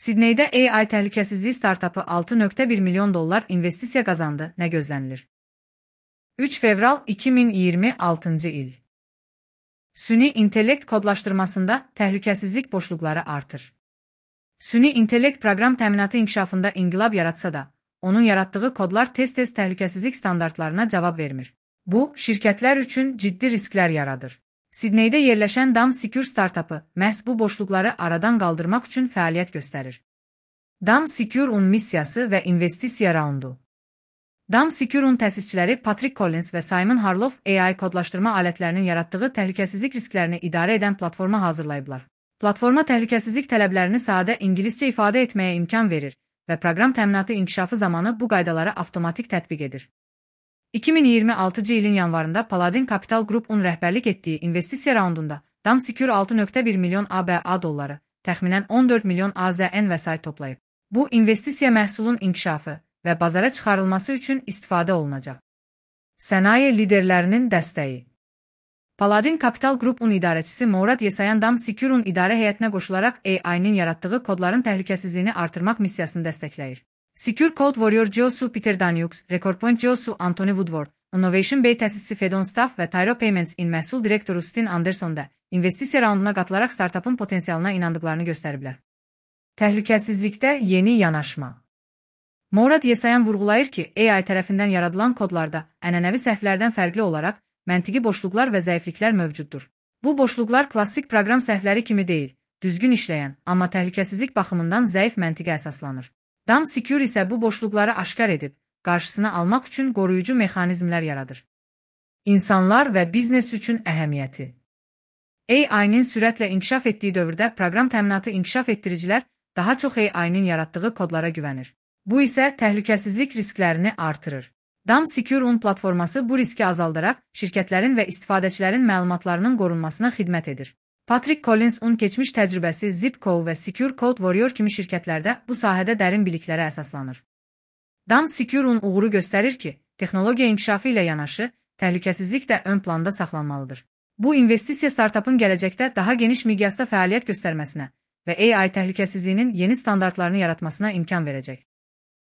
Sidneydə AI təhlükəsizliyi startapı $6.1 milyon investisiya qazandı, nə gözlənilir? 3 fevral 2026 il. Süni intellekt kodlaşdırmasında təhlükəsizlik boşluqları artır. Süni intellekt proqram təminatı inkişafında inqilab yaratsa da, onun yaratdığı kodlar tez-tez təhlükəsizlik standartlarına cavab vermir. Bu, şirkətlər üçün ciddi risklər yaradır. Sidneydə yerləşən Dam Secure startapı məhz bu boşluqları aradan qaldırmaq üçün fəaliyyət göstərir. Dam Secure'un missiyası və investisiya raundu. Dam Secure'un təsisçiləri Patrick Collins və Simon Harloff AI kodlaşdırma alətlərinin yaratdığı təhlükəsizlik risklərini idarə edən platforma hazırlayıblar. Platforma təhlükəsizlik tələblərini sadə ingiliscə ifadə etməyə imkan verir və proqram təminatı inkişafı zamanı bu qaydaları avtomatik tətbiq edir. 2026 ilin yanvarında Paladin Capital Group'un rəhbərlik etdiyi investisiya raundunda Dam Secure $6.1 milyon ABA dolları, təxminən 14 milyon AZN vəsait toplayıb. Bu, investisiya məhsulun inkişafı və bazara çıxarılması üçün istifadə olunacaq. Sənaye liderlərinin dəstəyi. Paladin Capital Group'un idarəçisi Mourad Yesayan Dam Secure'un idarə heyətinə qoşularaq AI-nin yaratdığı kodların təhlükəsizliyini artırmaq missiyasını dəstəkləyir. Secure Code Warrior Jiosu Peter Daniux, Recordpoint Jiosu Anthony Woodward, Innovation Bay təsisçisi Fedon Staff və Tyro Payments in məhsul direktoru Stin Anderson da investisiya raunduna qatılaraq startapın potensialına inandıqlarını göstəriblər. Təhlükəsizlikdə yeni yanaşma. Mourad Yesayan vurğulayır ki, AI tərəfindən yaradılan kodlarda ənənəvi səhvlərdən fərqli olaraq məntiqi boşluqlar və zəifliklər mövcuddur. Bu boşluqlar klassik proqram səhvləri kimi deyil, düzgün işləyən, amma təhlükəsizlik baxımından zəif məntiqə əsaslanır. Dam Secure isə bu boşluqları aşkar edib, qarşısını almaq üçün qoruyucu mexanizmlər yaradır. İnsanlar və biznes üçün əhəmiyyəti. AI-nin sürətlə inkişaf etdiyi dövrdə proqram təminatı inkişaf etdiricilər daha çox AI-nin yaratdığı kodlara güvənir. Bu isə təhlükəsizlik risklərini artırır. Dam Secure'un platforması bu riski azaldaraq şirkətlərin və istifadəçilərin məlumatlarının qorunmasına xidmət edir. Patrick Collins'un keçmiş təcrübəsi Zipco və Secure Code Warrior kimi şirkətlərdə bu sahədə dərin biliklərə əsaslanır. Dam Secure'un uğuru göstərir ki, texnologiya inkişafı ilə yanaşı, təhlükəsizlik də ön planda saxlanmalıdır. Bu, investisiya startapın gələcəkdə daha geniş miqyasda fəaliyyət göstərməsinə və AI təhlükəsizliyinin yeni standartlarını yaratmasına imkan verəcək.